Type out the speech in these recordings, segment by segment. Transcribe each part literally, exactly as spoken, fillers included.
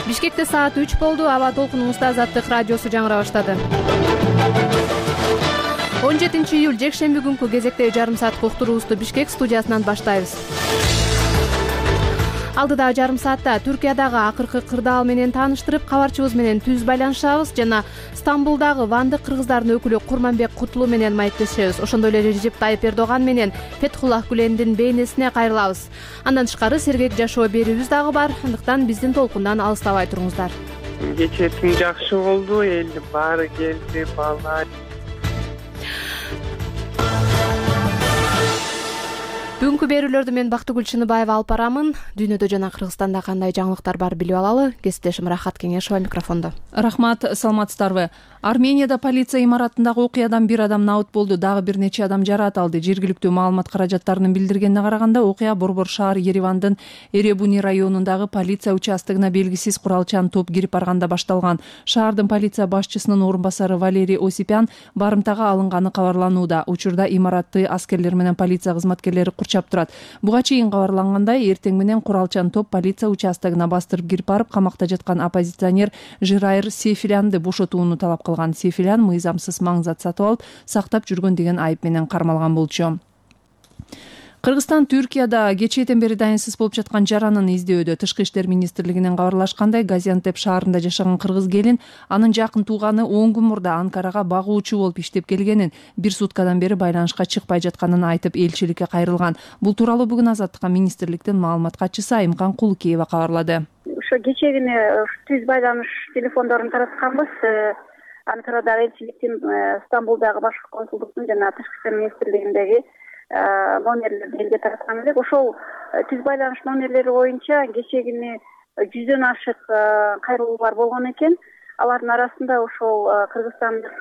Бишкекте саат үч болду. Аба толкунубузда Азаттык радиосу жаңыра баштады. он жетинчи июль жекшемби күнкү кезектеги жарым саат уктуруубузду Бишкек студиясынан баштайбыз. Алдыдагы жарым саатта Түркиядагы акыркы кырдаал менен тааныштырып, кабарчыбыз менен түз байланышабыз жана Стамбулдагы вандык кыргыздардын өкүлү Курманбек Кутлуу менен маектешебиз. Ошондой эле Режеп Тайып Эрдоган менен Фетхуллах Гүлендин бейнесине кайрылабыз. Андан тышкары сергек жашоо берүүбүз дагы бар. Андыктан биздин толкундан алыстабай туруңуздар. Кечээ түн жакшы болду, элдин баары келди, балдар. Бүгүнкү берүүлөрдү мен Бактыгүл Чыныбаева алып барамын. Дүйнөдө жана Кыргызстанда кандай жаңылыктар бар билип алалы. Кесиптешим Рахат Кеңешова микрофондо. Рахмат, саламатсыздарбы? Арменияда полиция имаратындагы окуядан бир адам наут болду, дагы бир нече адам жараат алды. Жергиликтүү маалымат каражаттарынын билдиргенине караганда, окуя Борбор шаар Еревандын Эребуни районундагы полиция участогуна белгисиз куралчан топ кирип барганда башталган. Шаардын полиция башчысынын орун басары Валерий Осипян барымтага алынганы кабарланууда. Учурда имаратты аскерлер менен полиция кызматкерлери курчап турат. Буга чейин кабарлангандай, эртең менен куралчан топ полиция участогуна бастырып кирип барып, камакта жаткан оппозиционер Жирайыр Сейфилянды бошотууну талап кылган. Сейфилян мыйзамсыз маң зат сатып алып, сактап жүргөн деген айып менен кармалган болчу. Кыргызстан Түркияда кечээден бери дайынсыз болуп жаткан жаранын издөөнү. Тышкы иштер министрлигинен кабарлашкандай, Газиантеп шаарында жашаган кыргыз келин анын жакын тууганы он күн мурда Анкарага багуучу болуп иштеп келгенин, бир суткадан бери байланышка чыкпай жатканын айтып, элчиликке кайрылган. Бул тууралуу бүгүн Азаттыкка министрликтин маалымат катчысы Айымкан Кулукеева кабарлады. Ошо кечегине түз байланыш телефондорун таратканбыз. Анкарадагы элчиликтин, Стамбулдагы башкы консулдуктун жана Тышкы иштер министрлигиндеги номерлерди элге тараткан элек. Ошол түз байланыш номерлери боюнча кечегине жүздөн ашык кайрылуулар болгон экен. Алардын арасында ошол кыргызстандык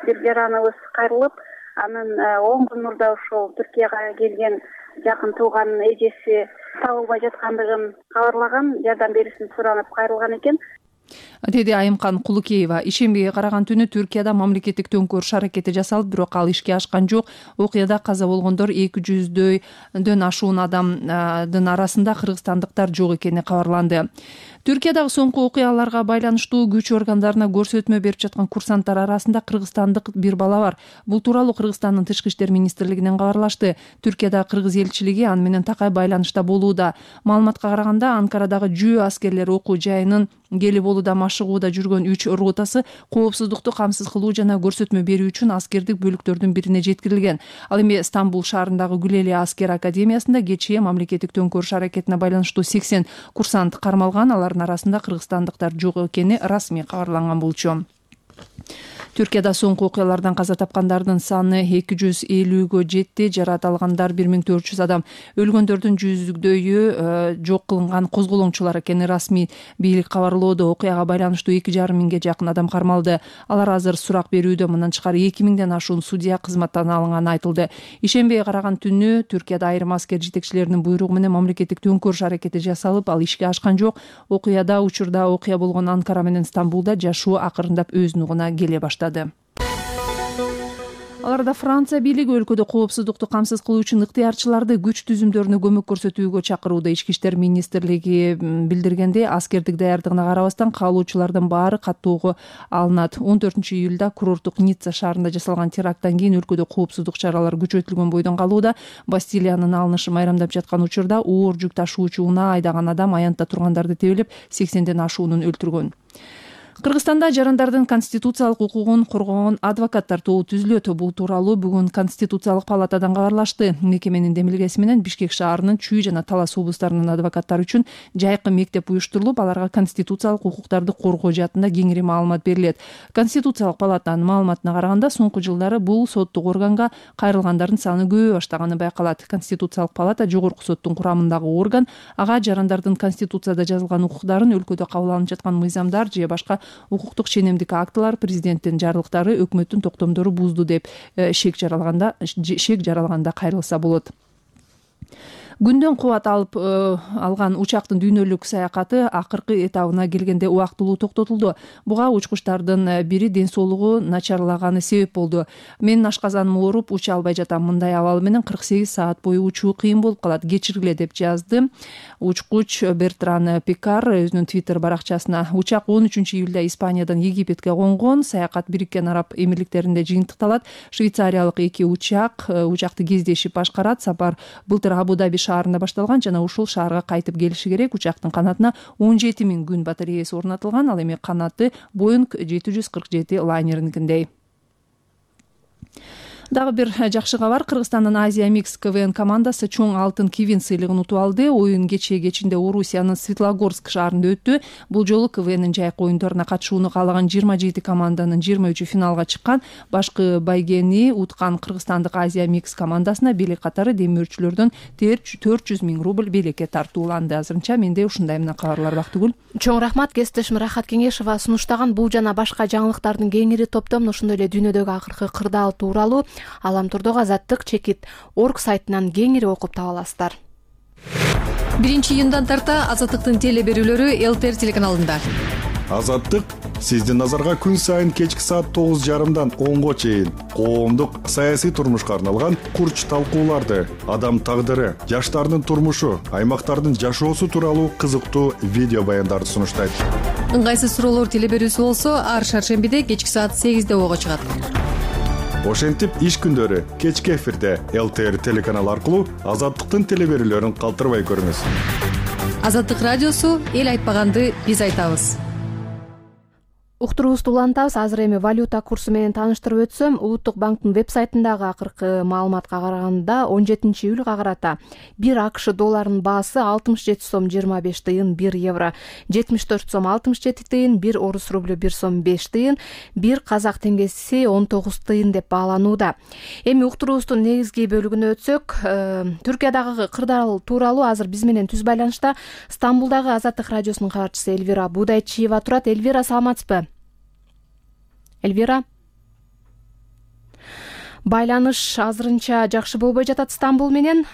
бир жараныбыз кайрылып, анын он күн мурда ошол Түркияга келген жакын тууганын эжеси табылбай жаткандыгын кабарлаган, жардам берүүсүн суранып кайрылган экен, деди Айымкан Кулукеева. Ишембиге караган түнү Түркияда мамлекеттик төңкөрүш аракети жасалып, бирок ал ишке ашкан жок. Окуяда каза болгондор эки жүздөн ашуун адамдын арасында кыргызстандыктар жок экени кабарланды. Түркиядагы соңку окуяларга байланыштуу күч органдарына көрсөтмө берип жаткан курсанттар арасында кыргызстандык бир бала бар. Бул тууралуу Кыргызстандын Тышкы иштер министрлигинен кабарлашты. Түркиядагы кыргыз элчилиги аны менен такай байланышта болууда. Маалыматка караганда, Анкарадагы жөө аскерлер окуу жайынын Гелиболуда машыгууда жүргөн үч ротасы коопсуздукту камсыз кылуу жана көрсөтмө берүү үчүн аскердик бөлүктөрдүн бирине жеткирилген. Ал эми Стамбул шаарындагы Гүлели аскер академиясында кечээ мамлекеттик төңкөрүш аракетине байланыштуу сексен курсант кармалган. Алардын арасында кыргызстандыктар жок экени расмий кабарланган болчу. Түркияда соңку окуялардан каза тапкандардын саны эки жүз элүүгө жетти, жараат алгандар бир миң төрт жүз адам. Өлгөндөрдүн жүздөгөйү жок кылынган козголоңчулар экени расмий бийлик кабарлоодо. Окуяга байланыштуу эки жарым миңге жакын адам кармалды. Алар азыр сурак берүүдө. Мындан тышкары эки миңден ашуун судья кызматтан алынганы айтылды. Ишембиге караган түнү Түркияда айрым аскер жетекчилеринин буйругу менен мамлекеттик төңкөрүш аракети жасалып, ал ишке ашкан жок. Окуяда учурда окуя болгон Анкара менен Стамбулда жашоо акырындап өз нугуна келе баштады. Аларда Франция бийлиги өлкөдө коопсуздукту камсыз кылуу үчүн ыктыярчыларды күч түзүмдөрүнө көмөк көрсөтүүгө чакырууда. Ички иштер министрлиги билдиргенде, аскердик даярдыгына карабастан каалоочулардын баары каттоого алынат. он төртүнчү июлда курорттук Ницца шаарында жасалган теракттан кийин өлкөдө коопсуздук чаралары күчөтүлгөн бойдон калууда. Бастилиянын алынышын майрамдап жаткан учурда оор жүк ташуучу унаа айдаган адам аянтта тургандарды тебелеп, сексенден ашуунун өлтүргөн. Кыргызстанда жарандардын конституциялык укугун коргогон адвокаттар тобу түзүлөт. Бул тууралуу бүгүн Конституциялык палатадан кабарлашты. Мекеменин демилгеси менен Бишкек шаарынын Чүй жана Талас облустарынын адвокаттары үчүн жайкы мектеп уюштурулуп, аларга конституциялык укуктарды коргоо жаатында кеңири маалымат берилет. Конституциялык палатанын маалыматына караганда, соңку жылдары бул соттук органга кайрылгандардын саны көбөйө баштаганы байкалат. Конституциялык палата жогорку соттун курамындагы орган. Ага жарандардын конституцияда жазылган укуктарын, өлкөдө кабыл алынып жаткан мыйзамдар же башка укуктук ченемдик актылар, президенттин жарлыктары, өкмөттүн токтомдору бузду деп шек жаралганда шек жаралганда кайрылса болот. Күндөн кубат алып алган учактын дүйнөлүк саякаты акыркы этабына келгенде убактылуу токтотулду. Буга учкучтардын бири ден соолугу начарлаганы себеп болду. Менин ашказаным ооруп, уча албай жатам. Мындай абал менен кырк сегиз саат бою учуу кыйын болуп калат. Кечиргиле деп жазды учкуч Бертран Пикар өзүнүн твиттер баракчасына. Учак он үчүнчү июлда Испаниядан Египетке конгон. Саякат Бириккен Араб Эмирликтеринде жыйынтыкталат. Швейцариялык эки учак учакты кездешип башкарат. Сапар былтыр Абу-Даби шаарында башталган жана ушул шаарга кайтып келиши керек. Учактын канатына он жети миң күн батареясы орнотулган. Ал эми канаты Боинг жети жүз кырк жети лайнеринкиндей. Дагы бир жакшы кабар. Кыргызстандын Азия Микс КВН командасы чоң алтын кивин сыйлыгын утуп алды. Оюн кечээ кечинде Орусиянын Светлогорск шаарында өттү. Бул жолу КВНдин жайкы оюндарына катышууну каалаган жыйырма жети команданын жыйырма үчү финалга чыккан. Башкы байгени уткан кыргызстандык Азия Микс командасына бийлик катары демөөрчүлөрдөн төрт жүз миң рубль белекке тартууланды. Азырынча менде ушундай мына кабарлар Бактыгүл. Чоң рахмат кесиптешим Рахат Кеңешова сунуштаган бул жана башка жаңылыктардын кеңири топтомун ошондой эле дүйнөдөгү акыркы кырдаал тууралуу Аламтурдогу Азаттык чекит орг сайтынан кеңири окуп таба аласыздар. биринчи июндан тарта Азаттыктын теле берүүлөрү эл тэ эр телеканалында. Азаттык сиздин назарга күн сайын кечки саат тогуз жарымдан онго чейин коомдук саясий турмушка арналган курч талкууларды, адам тагдыры, жаштардын турмушу, аймактардын жашоосу тууралуу кызыктуу видео баяндарды сунуштайт. Ыңгайсыз суроолор теле берүүсү болсо ар шаршембиде кечки саат сегизде ого чыгат. Ошентип иш күндөрү кечки эфирде эл тэ эр телеканалы аркылуу Азаттыктын теле берүүлөрүн калтырбай көрүңүз. Азаттык радиосу эл айтпаганды биз айтабыз. Уктуруубузду улантабыз. Азыр эми валюта курсу менен тааныштырып өтсөм, Улуттук банктын веб-сайтындагы акыркы маалыматка караганда он жетинчи июлга карата бир АКШ долларынын баасы алтымыш жети сом жыйырма беш тыйын, бир евро жетимиш төрт сом алтымыш жети тыйын, бир орус рублю бир сом беш тыйын, бир казак теңгеси он тогуз тыйын деп бааланууда. Эми уктуруубуздун негизги бөлүгүнө өтсөк, Түркиядагы кырдаал тууралуу азыр биз менен түз байланышта Стамбулдагы Азаттык радиосунун кабарчысы Эльвира Будайчиева турат. Эльвира, саламатсызбы? Эльвира, байланыш азырынча жакшы болбой жатат Стамбул менен.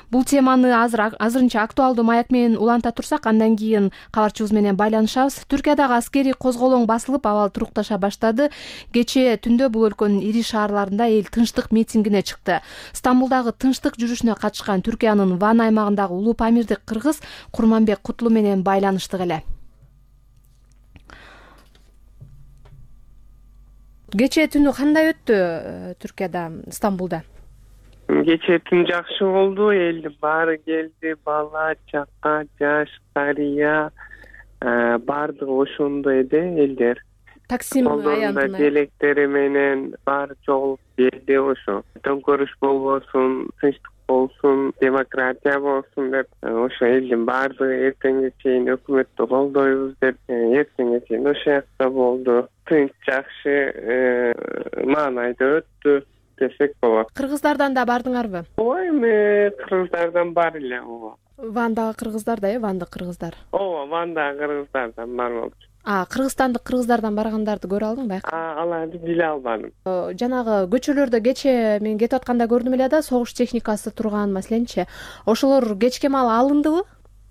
Бул теманы азыр азырынча актуалдуу маек менен уланта турсак, андан кийин кабарчыбыз менен байланышабыз. Түркиядагы аскерий козголоң басылып, абал турукташа баштады. Кечээ түндө бул өлкөнүн ири шаарларында эл тынчтык митингине чыкты. Стамбулдагы тынчтык жүрүшүнө катышкан Түркиянын Ван аймагындагы улуу памирдик кыргыз Курманбек Кутлу менен байланыштык эле. Кечээ түнү кандай өттү Түркияда, Стамбулда? Кечээ түн жакшы болду. Элдин баары келди, бала, чака, жаш, карыя, баардыгы ошондой эле элдер. Таксим аянтына желектери менен баары чогулуп келди. Ошо төңкөрүш болбосун, тынчтык болсун, демократия болсун деп, ошо элдин баардыгы эртеңге чейин өкмөттү колдойбуз деп, эртеңге чейин ошо жакта болду. Тынч жакшы маанайда өттү десек болот. Кыргыздардан да бардыңарбы? Ооба, эми кыргыздардан бар эле. Ооба. Вандагы кыргыздар да, э, Вандык кыргыздар. Ооба, Вандагы кыргыздардан бар болчу. А, кыргызстандык кыргыздардан баргандарды көрө алдыңбы? А, аларды биле албадым. Жанагы көчөлөрдө кечээ мен кетип атканда көрдүм эле да, согуш техникасы турган, маселенчи. Ошолор кечке маал алындыбы?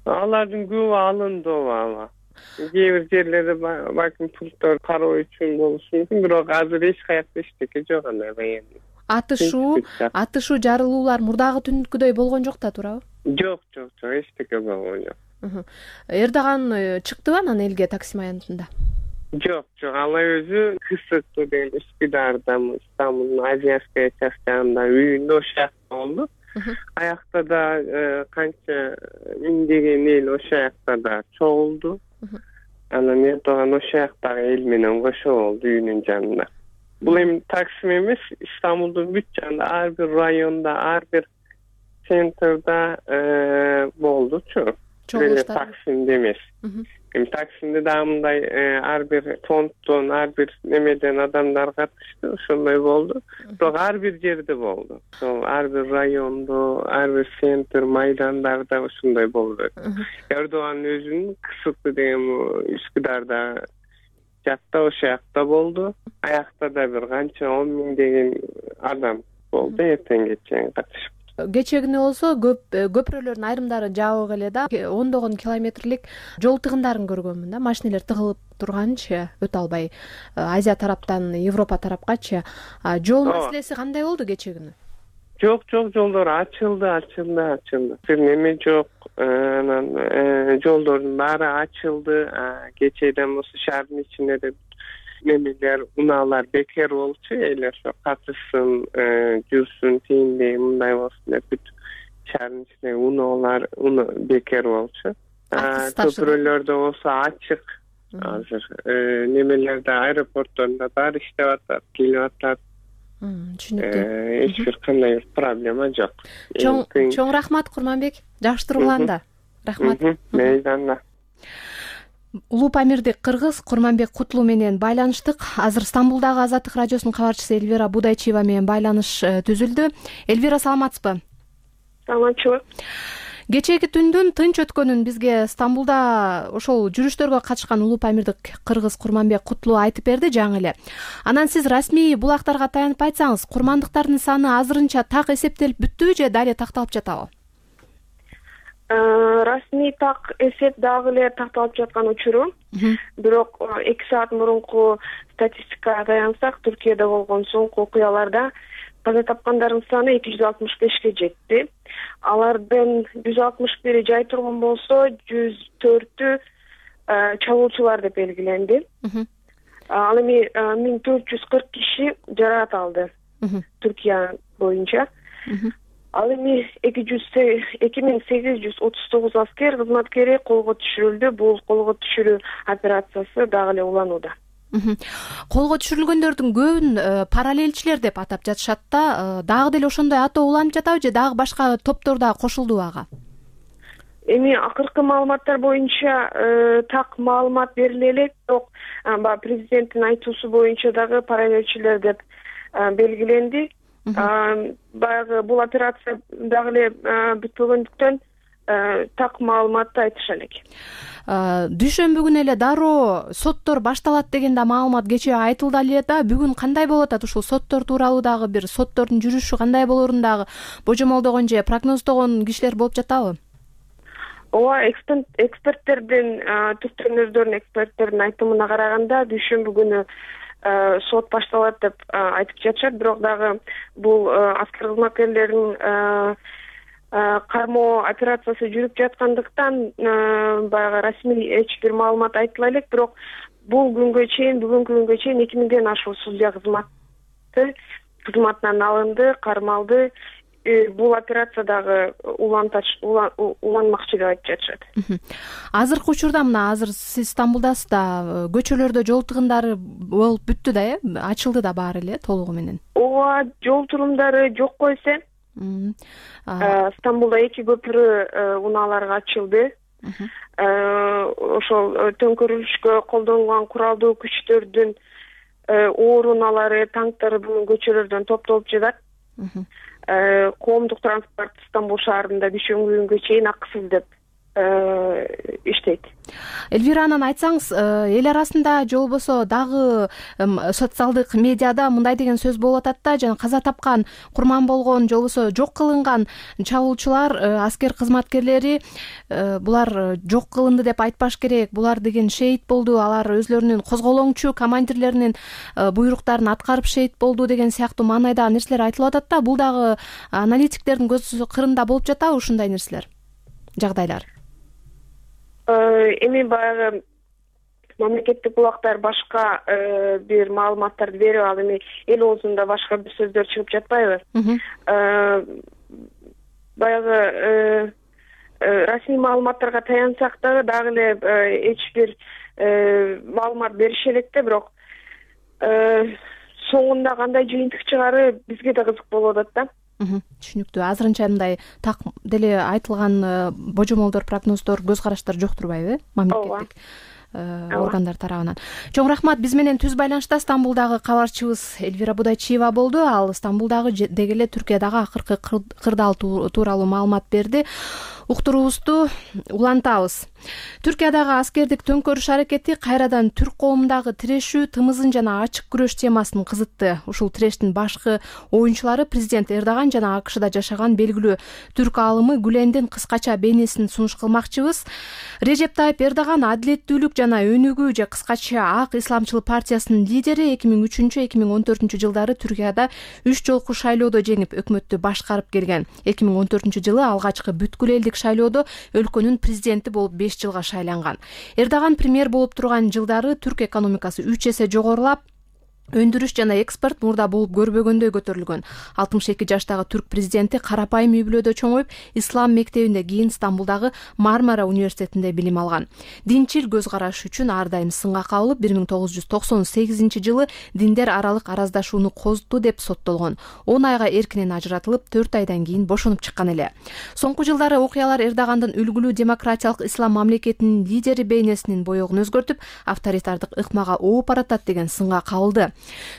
Алардын көбү алынды, ооба. Кээ бир жерлерде балким пульттор кароо үчүн болушу мүмкүн, бирок азыр эч каякта эчтеке жок андай баян. Атышуу, атышуу жарылуулар мурдагы түнкүдөй болгон жок да, туурабы? Жок, жок, жок, эчтеке болгон жок. Эрдоган чыктыбы анан элге Таксим аянтында? Жок, жок, ал өзү Кысыктуу деген Үскүдарда, Стамбулдун Азиявская частында үйүндө ошол жакта болду. Аякта да канча миңдеген эл ошол жакта да чогулду. Анан Эрдоган ошол жактагы эл менен кошо болду үйүнүн жанында. Бул эми Таксим эмес, Стамбулдун бүт жанында ар бир районда, ар бир центрда болдучу. Таксимде эмес. Эми Таксимде да мындай ар бир фонддон, ар бир немеден адамдар катышты, ошондой болду. Бирок ар бир жерде болду. Ошол ар бир райондо, ар бир центр, майдандарда ошондой болду. Эрдоган өзүнүн Кысыктуу деген Үскүдарда жакта ошол жакта болду. Аякта да бир канча он миңдеген адам болду, эртеңге чейин катышып. кечээ күнү болсо көпүрөлөрдүн айрымдары жабык эле да, ондогон километрлик жол тыгындарын көргөнмүн да, машинелер тыгылып турганчы өтө албай Азия тараптан Европа тарапкачы. Жол маселеси кандай болду кечээ күнү? Жок жок жолдор ачылды ачылды ачылды бир неме жок, анан жолдордун баары ачылды. Кечээден болсо шаардын ичинде да немелер, унаалар бекер болчу, эл ошо катышсын, жүрсүн, тииндей мындай болсун деп бүт шаардын ичинде унаалар бекер болчу. Көпүрөлөрдө болсо ачык азыр, немелерде аэропортторунда баары иштеп атат, келип атат. Түшүнүктүү. Эч бир кандай проблема жок. Чоң рахмат Курманбек, жакшы тургуланда. Рахмат. Мейданда. Улуу Памирдик кыргыз Курманбек Кутлуу менен байланыштык. Азыр Стамбулдагы Азаттык радиосунун кабарчысы Элвира Будайчиева менен байланыш түзүлдү. Элвира, саламатсызбы? Саламатчылык. Кечээки түндүн тынч өткөнүн бизге Стамбулда ошол жүрүштөргө катышкан Улуу Памирдик кыргыз Курманбек Кутлуу айтып берди жаңы эле. Анан сиз расмий булактарга таянып айтсаңыз, курмандыктардын саны азырынча так эсептелип бүттүбү же дале такталып жатабы? Расмий так эсеп дагы эле такталып жаткан учуру. Бирок эки саат мурунку статистикага таянсак, Түркияда болгон соңку окуяларда каза тапкандардын саны эки жүз алтымыш бешке жетти. Алардын жүз алтымыш бири жай тургун болсо, жүз төртү чалуучулар деп белгиленди. Ал эми миң төрт жүз кырк киши жаракат алды Түркия боюнча. Ал эми эки миң сегиз жүз отуз тогуз аскер кызматкери колго түшүрүлдү. Бул колго түшүрүү операциясы дагы эле уланууда. Колго түшүрүлгөндөрдүн көбүн параллелчилер деп атап жатышат да, дагы деле ошондой атоо уланып жатабы же дагы башка топтор дагы кошулдубу ага? Эми акыркы маалыматтар боюнча так маалымат бериле элек, бирок президенттин айтуусу боюнча дагы параллелчилер деп белгиленди. Баягы бул операция дагы эле бүтпөгөндүктөн так маалыматты айтыша элек. Дүйшөмбү күнү эле дароо соттор башталат деген да маалымат кечээ айтылды эле да. Бүгүн кандай болуп атат? Ушул соттор тууралуу дагы бир соттордун жүрүшү кандай болоорун дагы божомолдогон же прогноздогон кишилер болуп жатабы? Ооба, эксперттердин, түптөнөрдөрдүн эксперттердин айтымына караганда дүйшөмбү күнү сот башталат деп айтып жатышат. Бирок дагы бул аскер кызматкерлеринин кармоо операциясы жүрүп жаткандыктан баягы расмий эч бир маалымат айтыла элек. Бирок бул күнгө чейин, бүгүнкү күнгө чейин эки миңден ашуун судья кызматы кызматынан алынды, кармалды. Бул операция дагы уланмакчы деп айтып жатышат. Азыркы учурда мына азыр сиз Стамбулдасыз да, көчөлөрдө жол тыгындары болуп бүттү да, э? Ачылды да баары эле толугу менен. Ооба, жол турумдары жокко эсе. Стамбулда эки көпүрө унааларга ачылды. Ошол төңкөрүлүшкө колдонулган куралдуу күчтөрдүн оор унаалары, танктары бүгүн көчөлөрдөн топтолуп жатат. Коомдук транспорт Стамбул шаарында дүйшөмбү күнгө чейин акысыз деп иштейт. Элвира, анан айтсаңыз, эл арасында же болбосо дагы социалдык медиада мындай деген сөз болуп атат да, жана каза тапкан, курман болгон же болбосо жок кылынган чабуулчулар, аскер кызматкерлери булар жок кылынды деп айтпаш керек. Булар деген шейит болду, алар өзлөрүнүн козголоңчу командирлеринин буйруктарын аткарып шейит болду деген сыяктуу маанайда нерселер айтылып атат да. Бул дагы аналитиктердин көз кырында болуп жатабы ушундай нерселер, жагдайлар? Эми баягы мамлекеттик булактар башка бир маалыматтарды берип, ал эми эл оозунда башка бир сөздөр чыгып жатпайбы? Баягы расмий маалыматтарга таянсак дагы дагы эле эч бир маалымат берише элек да, бирок соңунда кандай жыйынтык чыгары бизге да кызык болуп атат да. Түшүнүктүү. Азырынча мындай так деле айтылган божомолдор, прогноздор, көз караштар жок турбайбы, э? Мамлекеттик органдар тарабынан. Чоң рахмат. Биз менен түз байланышта Стамбулдагы кабарчыбыз Элвира Будайчиева болду. Ал Стамбулдагы деги эле Түркиядагы акыркы кырдаал тууралуу маалымат берди. уктуруубузду улантабыз. Түркиядагы аскердик төңкөрүш аракети кайрадан түрк коомундагы тирешүү, тымызын жана ачык күрөш темасын кызытты. Ушул тирештин башкы оюнчулары президент Эрдоган жана АКШда жашаган белгилүү түрк аалымы Гүлендин кыскача бейнесин сунуш кылмакчыбыз. Режеп Тайып Эрдоган адилеттүүлүк жана өнүгүү же кыскача Ак исламчыл партиясынын лидери эки миң үчүнчү эки миң он төртүнчү жылдары Түркияда үч жолку шайлоодо жеңип өкмөттү башкарып келген. эки миң он төртүнчү жылы алгачкы бүткүл элдик шайлоодо өлкөнүн президенти болуп беш жылга шайланган. Эрдоган премьер болуп турган жылдары түрк экономикасы үч эсе жогорулап, өндүрүш жана экспорт мурда болуп көрбөгөндөй көтөрүлгөн. алтымыш эки жаштагы түрк президенти карапайым үй бүлөдө чоңоюп, ислам мектебинде, кийин Стамбулдагы Мармара университетинде билим алган. Динчил көз карашы үчүн ар дайым сынга кабылып, бир миң тогуз жүз токсон сегизинчи жылы диндер аралык араздашууну козутту деп соттолгон. он айга эркинен ажыратылып, төрт айдан кийин бошонуп чыккан эле. Соңку жылдары окуялар Эрдогандын үлгүлүү демократиялык ислам мамлекетинин лидери бейнесинин боёгун өзгөртүп, авторитардык ыкмага ооп баратат деген сынга кабылды.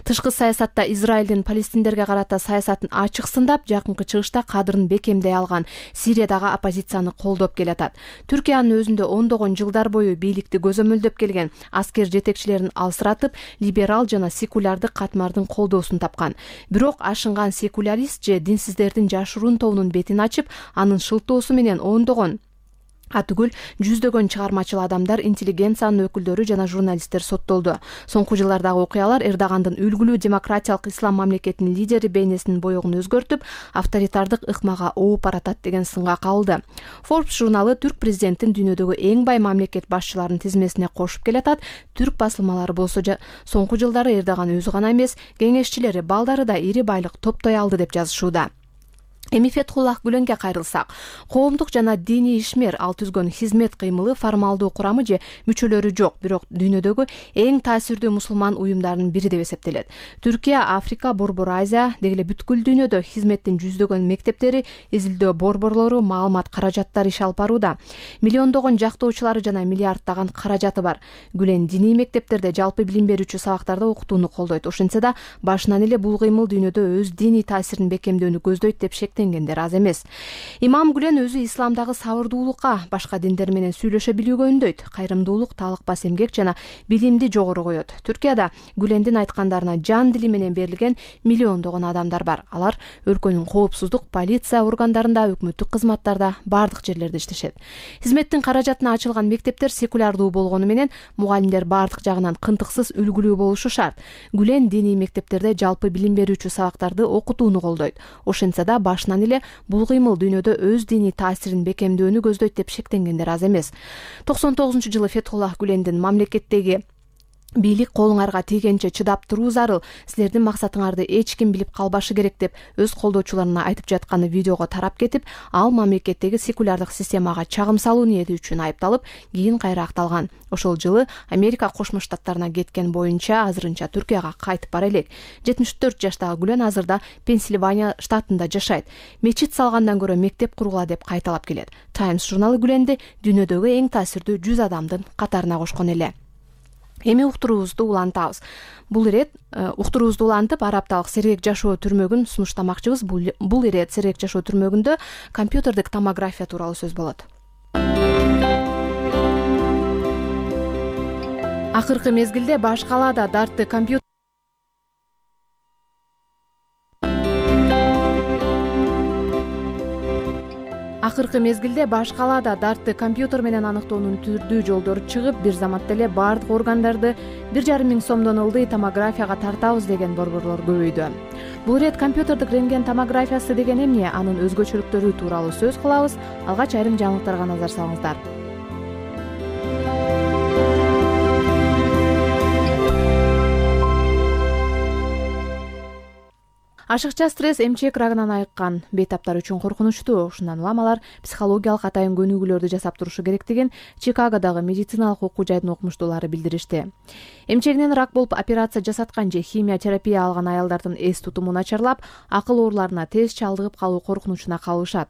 Тышкы саясатта Израилдин Палестиндерге карата саясатын ачык сындап, жакынкы чыгышта кадырын бекемдей алган, Сириядагы оппозицияны колдоп келатат. Түркиянын өзүндө ондогон жылдар бою бийликти көзөмөлдөп келген аскер жетекчилерин алсыратып, либерал жана секулярдык катмардын колдоосун тапкан. Бирок ашынган секулярист же динсиздердин жашыруун тобунун бетин ачып, анын шылтоосу менен ондогон атүгүл жүздөгөн чыгармачыл адамдар, интеллигенциянын өкүлдөрү жана журналисттер соттолду. Соңку жылдардагы окуялар Эрдогандын үлгүлүү демократиялык ислам мамлекетинин лидери бейнесинин боёгун өзгөртүп, авторитардык ыкмага ооп баратат деген сынга кабылды. Forbes журналы түрк президентин дүйнөдөгү эң бай мамлекет башчыларынын тизмесине кошуп келатат. Түрк басылмалары болсо соңку жылдары Эрдоган өзү гана эмес, кеңешчилери, балдары да ири байлык топтой алды деп жазышууда. Эми Фетхуллах Гүленге кайрылсак, коомдук жана диний ишмер, ал түзгөн хизмет кыймылы формалдуу курамы же мүчөлөрү жок, бирок дүйнөдөгү эң таасирдүү мусулман уюмдарынын бири деп эсептелет. Түркия, Африка, Борбор Азия, деги эле бүткүл дүйнөдө хизметтин жүздөгөн мектептери, изилдөө борборлору, маалымат каражаттары иш алып барууда. Миллиондогон жактоочулары жана миллиарддаган каражаты бар. Гүлен диний мектептерде жалпы билим берүүчү сабактарда окутууну колдойт. Ошентсе да, башынан эле бул кыймыл дүйнөдө өз диний таасирин бекемдөөнү көздөйт деп шектенгендер аз эмес. Имам Гүлен өзү исламдагы сабырдуулукка, башка диндер менен сүйлөшө билүүгө үндөйт. Кайрымдуулук, талыкпас эмгек жана билимди жогору коет. Түркияда Гүлендин айткандарына жан дили менен берилген миллиондогон адамдар бар. Алар өлкөнүн коопсуздук, полиция органдарында, өкмөттүк кызматтарда, бардык жерлерде иштешет. Хизметтин каражатына ачылган мектептер секулярдуу болгону менен мугалимдер бардык жагынан кынтыксыз, үлгүлүү болушу шарт. Гүлен диний мектептерде жалпы билим берүүчү сабактарды окутууну колдойт. Ошентсе да, башынан эле бул кыймыл дүйнөдө өз диний таасирин бекемдөөнү көздөйт деп шектенгендер аз эмес. токсон тогузунчу жылы Фетхуллах Гүлендин мамлекеттеги бийлик колуңарга тийгенче чыдап туруу зарыл, силердин максатыңарды эч ким билип калбашы керек деп өз колдоочуларына айтып жатканы видеого тарап кетип, ал мамлекеттеги секулярдык системага чагым салуу ниети үчүн айыпталып, кийин кайра акталган. Ошол жылы Америка Кошмо Штаттарына кеткен боюнча азырынча Түркияга кайтып бара элек. жетимиш төрт жаштагы Гүлен азырда Пенсильвания штатында жашайт. Мечит салгандан көрө мектеп кургула деп кайталап келет. Times журналы Гүленди дүйнөдөгү эң таасирдүү жүз адамдын катарына кошкон эле. Эми уктуруубузду улантабыз. Бул ирет уктуруубузду улантып, ар апталык сергек жашоо түрмөгүн сунуштамакчыбыз. Бул ирет сергек жашоо түрмөгүндө компьютердик томография тууралуу сөз болот. Акыркы мезгилде баш калаада дартты компьютер Акыркы мезгилде баш калаада дартты компьютер менен аныктоонун түрдүү жолдору чыгып, бир заматта эле бардык органдарды бир жарым миң сомдон ылдый томографияга тартабыз деген борборлор көбөйдү. Бул ирет компьютердик рентген томографиясы деген эмне, анын өзгөчөлүктөрү тууралуу сөз кылабыз. Алгач айрым жаңылыктарга назар салыңыздар. Ашыкча стресс эмчек рагынан айыккан бейтаптар үчүн коркунучтуу. Ушундан улам алар психологиялык атайын көнүгүүлөрдү жасап турушу керектигин Чикагодагы медициналык окуу жайдын окумуштуулары билдиришти. Эмчегинен рак болуп операция жасаткан же химия терапия алган аялдардын эс тутуму начарлап, акыл ооруларына тез чалдыгып калуу коркунучуна калышат.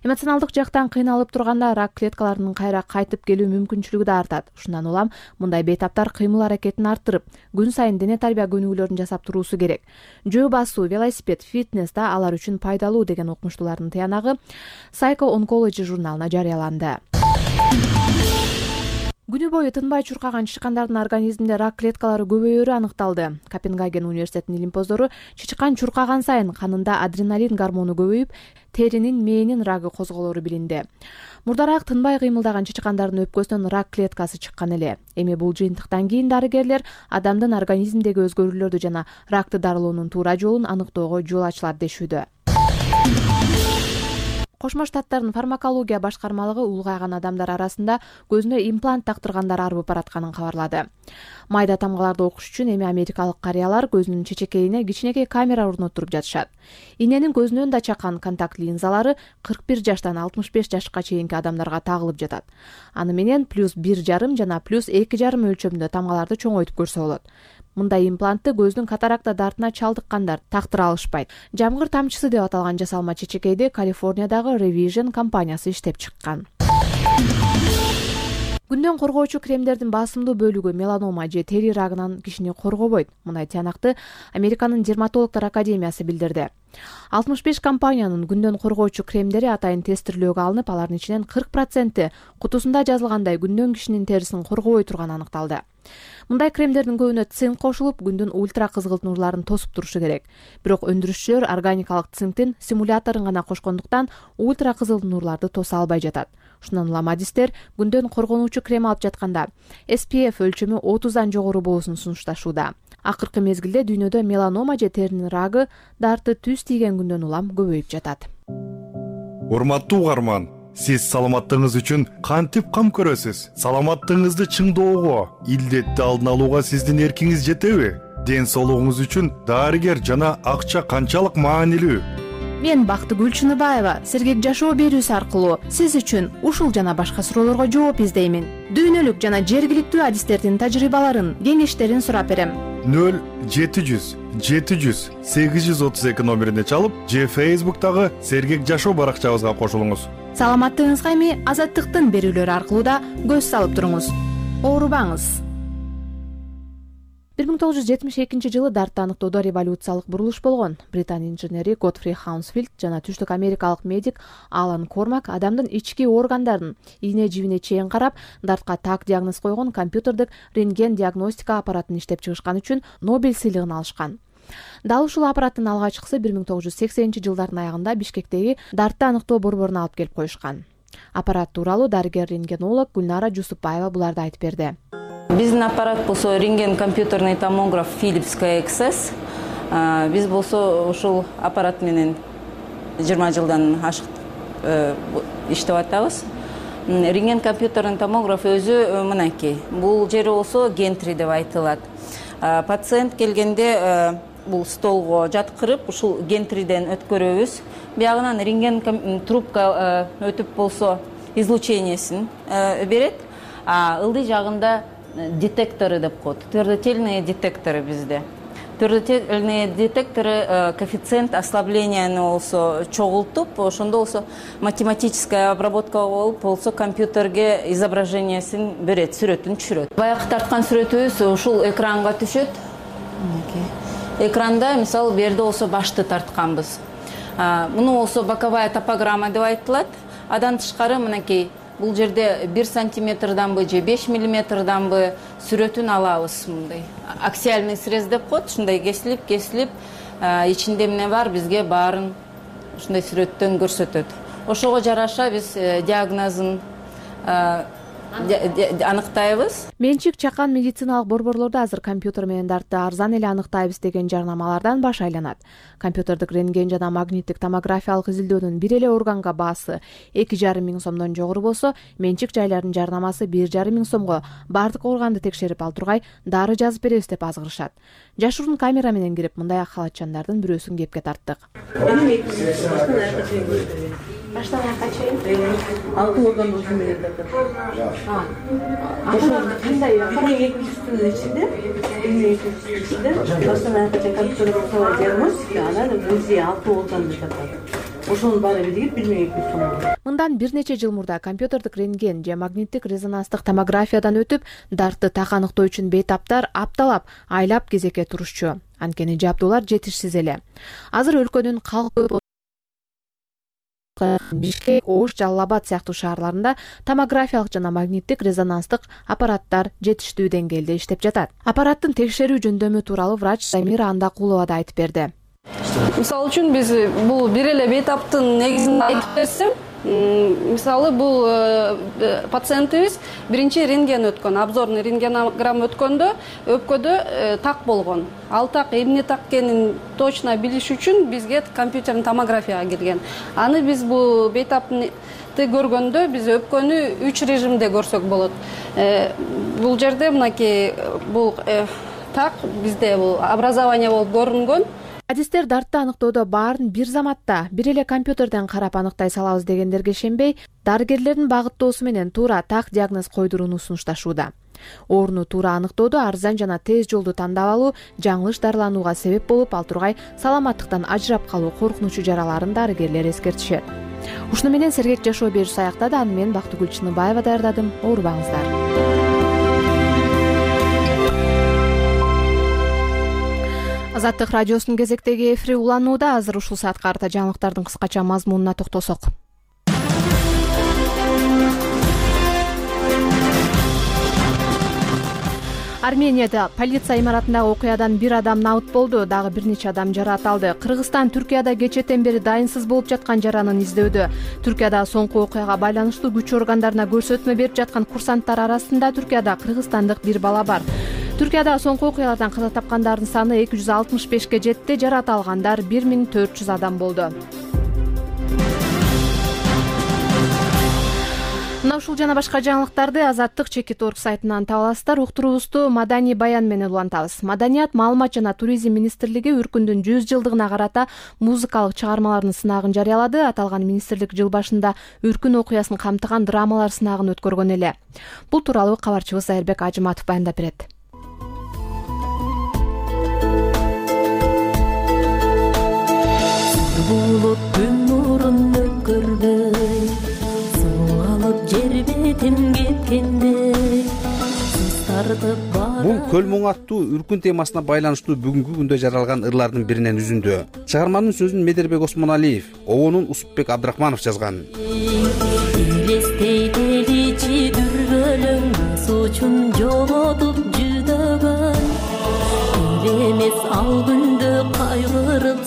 Эмоционалдык жактан кыйналып турганда рак клеткаларынын кайра кайтып келүү мүмкүнчүлүгү да артат. Ушундан улам мындай бейтаптар кыймыл аракетин арттырып, күн сайын дене тарбия көнүгүүлөрүн жасап туруусу керек. Жөө басуу, велосипед, фитнес да алар үчүн пайдалуу деген окумуштуулардын тыянагы Psycho Oncology журналына жарыяланды. Күнү бою тынбай чуркаган чычкандардын организминде рак клеткалары көбөйөрү аныкталды. Копенгаген университетинин илимпоздору чычкан чуркаган сайын канында адреналин гормону көбөйүп, теринин мээнин рагы козголору билинди. Мурдараак тынбай кыймылдаган чычкандардын өпкөсүнөн рак клеткасы чыккан эле. Эми бул жыйынтыктан кийин дарыгерлер адамдын организминдеги өзгөрүүлөрдү жана ракты дарылоонун туура жолун аныктоого жол ачылат дешүүдө. Кошмо Штаттардын фармакология башкармалыгы улгайган адамдар арасында көзүнө имплант тактыргандар арбып баратканын кабарлады. Майда тамгаларды окуш үчүн эми америкалык карыялар көзүнүн чечекейине кичинекей камера орноттуруп жатышат. Иненин көзүнөн да чакан контакт линзалары кырк бир жаштан алтымыш беш жашка чейинки адамдарга тагылып жатат. Аны менен плюс бир жарым жана плюс эки жарым өлчөмүндө тамгаларды чоңойтуп көрсө болот. Мындай имплантты көздүн катаракта дартына чалдыккандар тактыра алышпайт. Жамгыр тамчысы деп аталган жасалма чечекейди Калифорниядагы Revision компаниясы иштеп чыккан. Күндөн коргоочу кремдердин басымдуу бөлүгү меланома же тери рагынан кишини коргобойт. Мындай тыянакты Американын дерматологдор академиясы билдирди. алтымыш беш компаниянын күндөн коргоочу кремдери атайын тестирлөөгө алынып, алардын ичинен кырк проценти кутусунда жазылгандай күндөн кишинин терисин коргобой турганы аныкталды. Мындай кремдердин көбүнө цинк кошулуп, күндүн ультра кызгылт нурларын тосуп турушу керек. Бирок өндүрүшчүлөр органикалык цинктин симуляторун гана кошкондуктан ультра кызыл нурларды тоса албай жатат. Ушундан улам адистер күндөн коргонуучу крем алып жатканда эс пи эф өлчөмү отуздан жогору болуусун сунушташууда. Акыркы мезгилде дүйнөдө меланома же теринин рагы дарты түз тийген күндөн улам көбөйүп жатат. Урматтуу угарман, сиз саламаттыгыңыз үчүн кантип кам көрөсүз? Саламаттыгыңызды чыңдоого, илдетти алдын алууга сиздин эркиңиз жетеби? Ден соолугуңуз үчүн дарыгер жана акча канчалык маанилүү? Мен Бактыгүл Чыныбаева сергек жашоо берүүсү аркылуу сиз үчүн ушул жана башка суроолорго жооп издеймин. Дүйнөлүк жана жергиликтүү адистердин тажрыйбаларын, кеңештерин сурап берем. нөл жети жүз жети жүз сегиз жүз отуз эки номерине чалып же Facebook'тагы Сергек жашоо баракчабызга кошулуңуз. Саламаттыгыңызга эми Азаттыктын берүүлөрү аркылуу да көз салып туруңуз. Оорубаңыз. бир миң тогуз жүз жетимиш экинчи жылы дартты аныктоодо революциялык бурулуш болгон. Британ инженери Готфри Хаунсфилд жана түштүк америкалык медик Алан Кормак адамдын ички органдарын ийне жибине чейин карап, дартка так диагноз койгон компьютердик рентген диагностика аппаратын иштеп чыгышкан үчүн Нобель сыйлыгын алышкан. Дал ушул аппараттын алгачкысы бир миң тогуз жүз сексенинчи жылдардын аягында Бишкектеги дартты аныктоо борборуна алып келип коюшкан. Аппарат тууралуу дарыгер-рентгенолог Гүлнара Жусупбаева буларды айтып берди. Биздин аппарат болсо рентген компьютерный томограф Philips кей экс эс. Биз болсо ушул аппарат менен жыйырма жылдан ашык иштеп атабыз. Рентген компьютерный томограф өзү мынакей. Бул жери болсо гентри деп айтылат. Пациент келгенде бул столго жаткырып, ушул гентриден өткөрөбүз. Биягынан рентген трубка өтүп болсо излучениесин берет. А ылдый жагында детекторы деп коет. Твердотельные детекторы bizde. Твердотельные детекторы коэффициент ослабления болсо чогултуп, ошондо болсо математическая обработка болуп, болсо компьютерге изображениесин берет, сүрөтүн түшүрөт. Баягы тарткан сүрөтүбүз ушул экранга түшөт. Экранда, мисалы, берде болсо башты тартканбыз. Муну болсо боковая топограмма деп айтылат. Адан тышкары мынакей бул жерде бир сантиметрданбы же беш миллиметрданбы сүрөтүн алабыз мындай. Аксиальный срез деп коет, ушундай кесилип, кесилип, ичинде эмне бар, бизге баарын ушундай сүрөттөн көрсөтөт. Ошого жараша биз диагнозун аныктайбыз. Менчик чакан медициналык борборлордо азыр компьютер менен дартты арзан эле аныктайбыз деген жарнамалардан баш айланат. Компьютердик рентген жана магниттик томографиялык изилдөөнүн бир эле органга баасы эки жарым миң сомдон жогору болсо, менчик жайлардын жарнамасы бир жарым миң сомго бардык органды текшерип ал тургай дары жазып беребиз деп азгырышат. Жашыруун камера менен кирип мындай халатчандардын бирөөсүн кепке тарттык. Баштан аякка чейин алты орган болсун менен тартат. Кандай эки жүздүн ичинде, эки жүздүн ичинде баштан аякка чейин компьютерге диагностика, анан УЗИ алты органды тартат. ошонун баары биригип бир миң эки жүз сом алат. Мындан бир нече жыл мурда компьютердик рентген же магниттик резонанстык томографиядан өтүп дартты так аныктоо үчүн бейтаптар апталап, айлап кезекке турушчу. Анткени жабдуулар жетишсиз эле. Азыр өлкөнүн калкы Бишкек, Ош, Жалал Абад сыяктуу шаарларында томографиялык жана магниттик резонанстык аппараттар жетиштүү деңгээлде иштеп жатат. Аппараттын текшерүү жөндөмү тууралуу врач Замира Андакулова да айтып берди. Мисалы үчүн биз бул бир эле бейтаптын негизин айтып берсем, мисалы бул пациентибиз биринчи рентген өткөн, обзорный рентгенограмма өткөндө өпкөдө так болгон. Ал так эмне так экенин точно билиш үчүн бизге компьютерный томографияга келген. Аны биз бул бейтапты көргөндө биз өпкөнү үч режимде көрсөк болот. Бул жерде мынакей бул так бизде бул образование болуп көрүнгөн. Адистер дартты аныктоодо баарын бир заматта бир эле компьютерден карап аныктай салабыз дегендерге ишенбей, дарыгерлердин багыттоосу менен туура так диагноз койдурууну сунушташууда. Ооруну туура аныктоодо арзан жана тез жолду тандап алуу жаңылыш дарыланууга себеп болуп, ал тургай саламаттыктан ажырап калуу коркунучу жараларын дарыгерлер эскертишет. Ушуну менен сергек жашоо берүүсү аяктады. Аны мен Бактыгүл Чыныбаева даярдадым. Оорубаңыздар. Азаттык радиосунун кезектеги эфири уланууда. Азыр ушул саат карта жаңылыктардын кыскача мазмунуна токтолсок. Арменияда полиция имаратындагы окуядан бир адам набыт болду, дагы бир нече адам жаракат алды. Кыргызстан Түркияда кечээден бери дайынсыз болуп жаткан жаранын издөүдө. Түркияда соңку окуяга байланыштуу күч органдарына көрсөтмө берип жаткан курсанттар арасында Түркияда кыргызстандык бир бала бар. Түркияда соңку окуялардан каза тапкандардын саны эки жүз алтымыш бешке жетти, жаракат алгандар бир миң төрт жүз адам болду. Мына ушул жана башка жаңылыктарды Азаттык чекит орг сайтынан таба аласыздар. Уктуруубузду маданий баян менен улантабыз. Маданият, маалымат жана туризм министрлиги Үркүндүн жүз жылдыгына карата музыкалык чыгармалардын сынагын жарыялады. Аталган министрлик жыл башында Үркүн окуясын камтыган драмалар сынагын өткөргөн эле. Бул тууралуу кабарчыбыз Айырбек Ажыматов баяндап берет. Булуп күн нурун өкөргөй, суу алып жер бетин кеткенде, сыз тартып бара. Бул Көл Моң аттуу Үркүн темасына байланыштуу бүгүнкү күндө жаралган ырлардын биринен үзүндү. Чыгарманын сөзүн Медербек Осмоналиев, обонун Усупбек Абдрахманов жазган. Элестейдели дүргөлөң сучун жоготуп жүдөгөн, элемес ал күндө кайгырып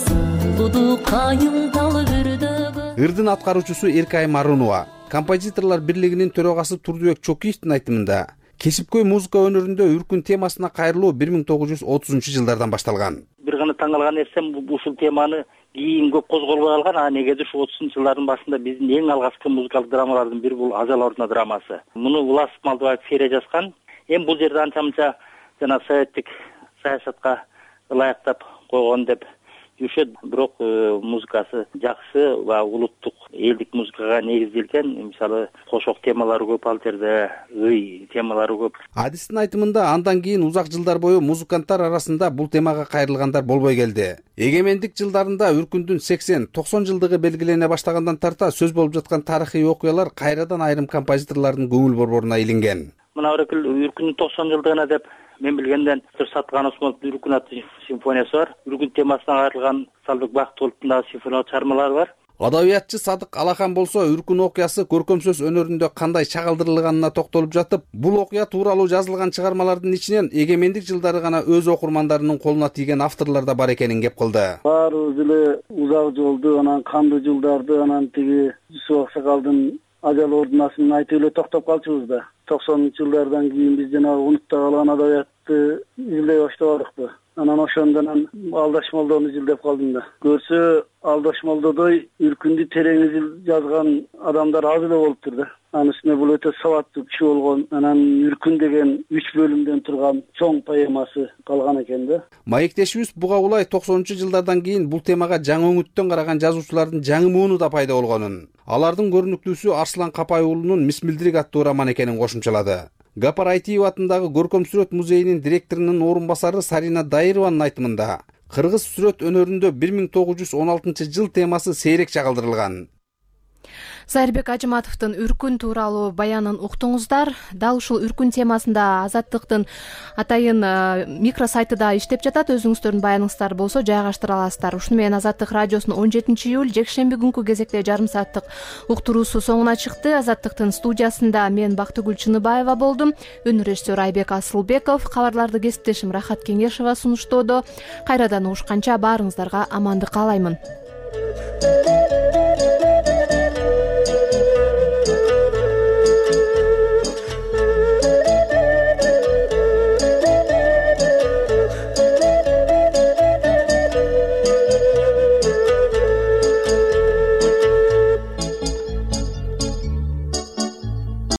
Ырдын аткаруучусу Эркай Марунова, композиторлор бирлигинин төрагасы Турдубек Чокиевдин айтымында, кесипкөй музыка өнөрүндө Үркүн темасына кайрылуу бир миң тогуз жүз отузунчу жылдардан башталган. Бир гана таң калган нерсем ушул теманы кийин көп козголбой калган. А негеде ушу отузунчу жылдардын башында биздин эң алгачкы музыкалык драмалардын бири бул Ажал ордуна драмасы. Муну Улас Малдыбаев Фере жазган. Эми бул жерде анча-мынча жана советтик саясатка ылайыктап койгон деп жүрүшөт, бирок музыкасы жакшы ва улуттук элдик музыкага негизделген, мисалы кошок темалары көп, ал жерде ый темалары көп. Адистин айтымында андан кийин узак жылдар бою музыканттар арасында бул темага кайрылгандар болбой келди. Эгемендик жылдарында Үркүндүн сексен токсон жылдыгы белгилене баштагандан тарта сөз болуп жаткан тарыхый окуялар кайрадан айрым композиторлордун көңүл борборуна илинген. Мына Өрөкүл Үркүндүн токсон жылдыгына деп мен билгенден Сатқан Осмоновдун Үркүн аттуу симфониясы бар. Үркүн темасына кайрылган Салбек Бактыгуловдун дагы симфониялык чыгармалары бар. Адабиятчы Садык Алахан болсо Үркүн окуясы көркөм сөз өнөрүндө кандай чагылдырылганына токтолуп жатып, бул окуя тууралуу жазылган чыгармалардын ичинен эгемендик жылдары гана өз окурмандарынын колуна тийген авторлор да бар экенин кеп кылды. Баарыбыз эле узак жолду, анан кандуу жылдарды, анан тиги Жүсүп Аксакалдын Ажал ордунасын айтып эле токтоп калчубуз да. токсонунчу жылдардан кийин биз жанагы унутта калган адабиятты изилдей баштабадыкпы. Анан ошондон Алдаш Молдону изилдеп калдым да. Көрсө Алдаш Молдодой Үркүндү терең жазган адамдар аз эле болуптур да. Анын үстүнө бул өтө сабаттуу киши болгон. Анан Үркүн деген үч бөлүмдөн турган чоң поэмасы калган экен да. Маектешибиз буга улай токсонунчу жылдардан кийин бул темага жаңы өңүттөн караган жазуучулардын жаңы мууну да пайда болгонун, алардын көрүнүктүүсү Арслан Капай уулунун Мисмилдирик аттуу роман экенин кошумчалады. Гапар Айтиев атындагы Көркөм сүрөт музейинин директорунун орун басары Сарина Дайырованын айтымында, Кыргыз сүрөт өнөрүндө бир миң тогуз жүз он алтынчы жыл темасы сейрек чагылдырылган. Зайырбек Ажыматовдун Үркүн тууралуу баянын уктуңуздар. Дал ушул Үркүн темасында Азаттыктын атайын микро сайты да иштеп жатат. Өзүңүздөрдүн баяныңыздар болсо жайгаштыра аласыздар. Ушуну менен Азаттык радиосунун он жетинчи июль жекшемби күнкү кезекте жарым сааттык уктуруусу соңуна чыкты. Азаттыктын студиясында мен Бактыгүл Чыныбаева болдум. Өнөр режиссеру Айбек Асылбеков, кабарларды кесиптешим Рахат Кеңешова сунуштоодо. Кайрадан угушканча баарыңыздарга амандык каалаймын.